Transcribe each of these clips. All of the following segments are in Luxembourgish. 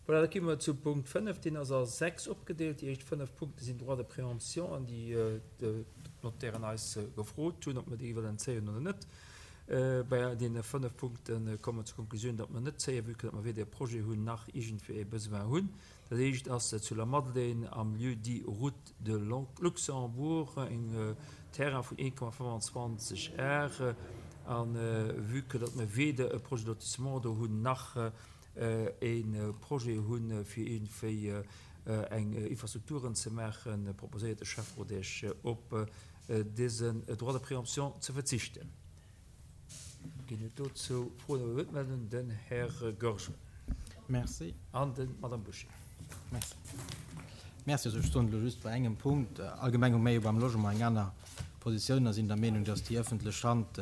Voilà, da gi mer zu Punkt 5. Deen ass a 6 opgedeelt. Déi éischt 5 Punkte sinn Droits de préemption, an déi d'Notairen eis gefrot hunn, ob mer déi wëllen zéien oder net. Bei deene 5 Punkte komme mer zur Konklusioun, datt mer net zéien, vue que datt mer weder e Projet hunn nach iergendwéi e Besoin hunn. Dat éischt ass zu Lamadelaine am Lieu-dit Route de Luxembourg, en Terrain vun 1,25 Ar. A vue que datt mer weder e Projet de lotissement do hunn nach e Projet hunn, fir iergendwéi eng Infrastrukturen ze maachen, proposéiert de Schäfferot Iech, op dësen Droit de préemption ze verzichten. Ginn et dozou Froen oder Wuertmeldungen? Den Här Goergen. Merci. An d'Madame Bouché. Merci. Merci. Also ech soen elo just bei engem Punkt, allgemeng hu mir jo beim Logement eng aner Positioun a sinn der Meenung, dass déi ëffentlech Hand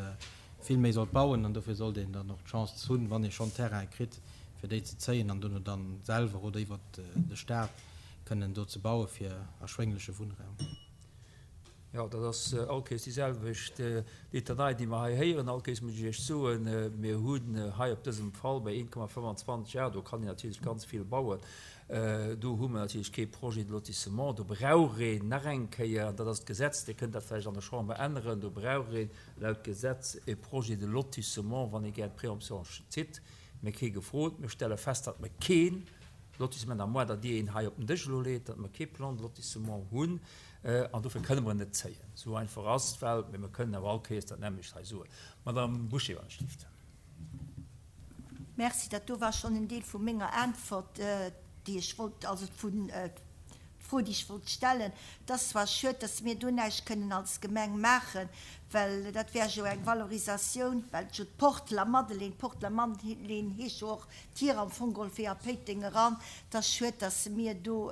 vill méi sollt bauen an dofir sollt een dann och d'Chance hunn, wann ee schonn Terraine kritt, fir déi ze zéien an dono dann selwer oder iwwert de Stat kënnen do ze baue fir erschwéngleche Wunnraum. Jo, dat ass all Kéiers déi selwecht Litanei, déi mer hei héieren. All Kéiers muss ech Iech soen, mir hunn hei op dësem Fall bei 1,25 Ar, do kann een natierlech ganz vill bauen, do hu mer natierlech kee Projet de lotissement, do brauch een nach eng Kéier, an dat ass d'Gesetz, Dir kënnt dat vläicht an der Chamber änneren, do brauch een laut Gesetz e Projet de lotissement, wann ee gär d'Préemption zitt. Mir kee gefrot. Mir stelle fest, datt mer kee Lotissement, à moins datt Dir een hei op den Dësch elo leet, datt mer kee Plan de lotissement hunn. An dofir kënne mer en net zéien. Esou einfach ass d'Welt. Mee mer kënnen awer all Kéiers dat nämmlecht hei soen. Madame Bouché, wann ech dierft. Merci. Dat do war schonn en Deel vu menger Äntwert, déi ech wollt, also vun D'Fro, déi ech wollt stellen, Et ass zwar schued, dass mir do näischt kënnen als Gemeng maachen, well dat wär jo eng Valorisatioun, well jo d'Porte Lamadelaine, d'Porte Lamadelaine heescht jo och d'Tier am Fong geholl fir a Péiteng eran. Et ass schued, dass mir do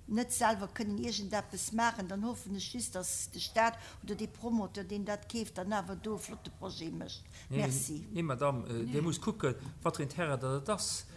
net selwer kënnen iergendeppes maachen. Dann hoffen ech just, dass de Stat oder dee Promoteur, deen dat keeft, dann awer do e flotte Projet mécht. Merci. Nee, Madame, Dir musst kucken, wat fir een Terrain dat et ass.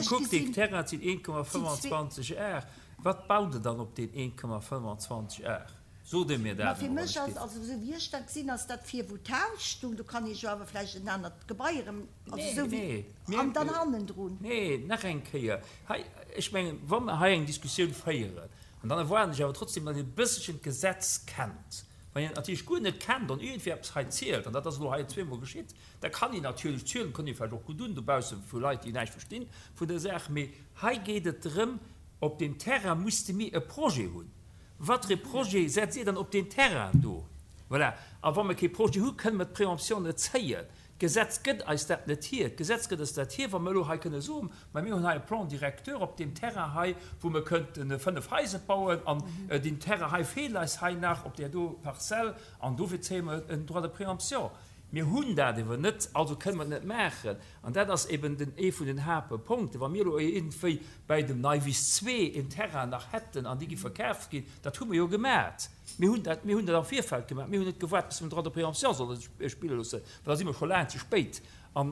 Kuckt, dee Terrain, dat sinn 1,25 Ar. Wat baut Der dann op deen 1,25 Ar? Sot Dir mir dat emol, wann ech dierf. Fir mech ass, also esou wéi ech dat gesinn, ass dat vir, wou d'Haus stung. Do kann ee jo awer vläicht en anert Gebai erëm, also esou wéi, an dann hannendrun. Nee, nach eng Kéier, hei, ech mengen, wa mer hei eng Diskussioun féieren, an dann erwaarden ech awer trotzdem, datt Dir e bësselchen d'Gesetz kennt. Wann een et natierlech guer net kennt an iergendwéi eppes hei zielt, an dat ass elo hei zweemol geschitt, da kann een natierlech zielen, kënnt ee vläicht och gutt un dobausse vu Leit, déi näischt verstinn vun der Saach, mee hei geet et drëm, op deem Terrain musste mir e Projet hunn. Wat fir e Projet setzt Dir dann op deen Terrain do? Voilà. A wa mer kee Projet hu, kënne mer d'Préemption net zéien. D'Gesetz gëtt eis dat net hier. D'Gesetz gëtt eis dat hier, wa mer elo hei kënne soen, Ma mir hunn hei e Plan directeur op deem Terrain hei, wou mer kënnte 5 Haiser bauen, an deen Terrain hei feelt eis hei nach op där do Parzell, an dofir zéie mer en Droit de préemption. Mir hunn dat ewer net, also kënne mer et net maachen. An dat ass eben den ee vun den Haaptpunkten. Wa mir elo iergendwéi bäi dem Neiwiss 2 en Terrain nach hätten an dee gi verkaaft ginn, dat hu mer jo gemat. Mir hunn dat, mir hunn dat am Virfeld gemaach. Mir hunn net gewaart, bis mer den Droit de préemption solle spille loossen, well da si mer scho laang ze spéit. An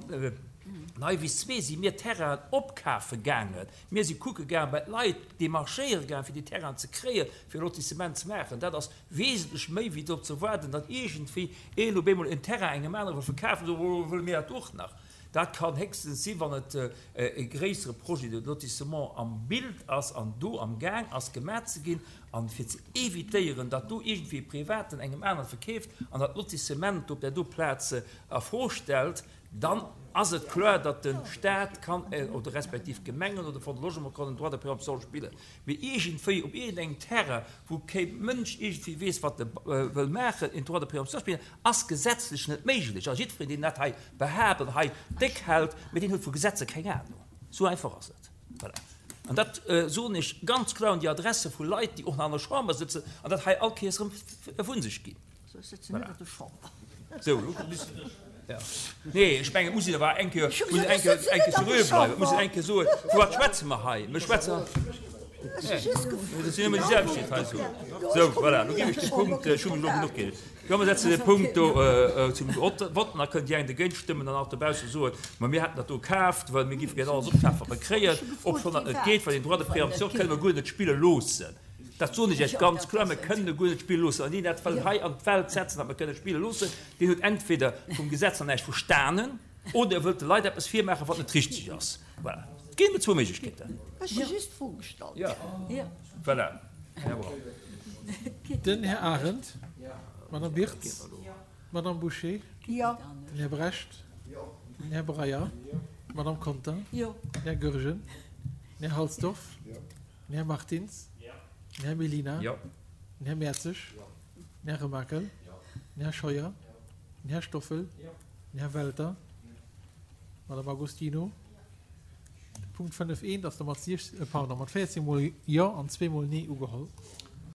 Neiwiss 2 si mir Terrainen opkafe gaangen. Mir si kucke gaangen, bei d'Leit demarchéiere gaangen, fir déi Terrainen ze kréien, fir e Lotissement ze maachen. Dat ass wesentlech méi, wéi drop ze waarden, datt iergendwéi een op eemol en Terrain engem anere wëll verkafen, esou, oh, wëlle mir dat och nach. Dat kann héchstens si wann et e gréissere Projet de lotissement am Bild ass an do am Gaang ass gemaach ze ginn, an fir ze évitéieren, datt do iergendwéi e Privaten engem anere verkeeft an dat Lotissement do op där do Plaz a Fro stellt, dann ass et kloer, datt de Stat kann, oder respektiv d'Gemengen oder de Fonds de Logement kann en Droit de préemption spillen. Mee iergendwéi op iergendengem Terrain, wou kee Mënsch iergendwéi weess, wat e wëll maachen, en Droit de préemption spillen, ass gesetzlech net méiglech. A jiddwereen, deen dat hei behaapt an hei déck hält, mee deen huet vu Gesetzer keng Ahnung. Esou einfach ass et. Voilà. An dat soen ech ganz kloer un déi Adresse vu Leit, déi och nach an der Chamber sëtzen an dat hei all Kéiers erëm vu sech ginn. Ech sëtzen net an der Chamber. Sou, elo kommt bis. Ja. Nee, ech mengen, et muss een awer eng Kéier, muss een eng Kéier, eng Kéier seriö bleiwen. Et muss een eng Kéier soen, vu wat schwätze mer hei? Mir schwätzen. Nee, dat sinn ëmmer déi selwecht, déi et hei soen. Sou, voilà, elo ginn ech de Punkt, ech hu mech elo genuch gereegt. Jo, mer setzen de Punkt do zum Vott an da kënnt déi eng dergéint stëmmen an och dobausse soen, ma mir hätten dat do kaaft, well mir géife gär alles opkafen, wat mer kréien, obschonn dat net geet, well deen Droit de préemption kënne mer guer net spille loossen. Dat soen ech Iech ganz kloer, mir kënnen e guer net spille loossen. An deen dat wëll hei an d'Welt setzen, datt mer kënne spille loossen, deen huet entweder vum Gesetz nach näischt verstanen oder e wëllt de Leit eppes virmaachen, wat net richteg ass. Voilà. Et ginn nëmmen zwou Méiglechkeeten. Ech hu just d'Fro gestallt. Jo, voilà. Här Braun. Den Här Arendt. D'Madame Birtz. D'Madame Bouché. Den Här Brecht. Den Här Breyer. D'Madame Conter. Den Här Goergen. Den Här Halsdorf. Den Här Martins. Den Här Mellina. Den Här Mertzig. Den Här Remakel. Den Här Scheuer. Den Här Stoffel. Den Här Welter. D'Madame Agostino. De Punkt 5 eent ass da mat siech, pardon, mat 14 mol Jo an zweemol Nee ugeholl.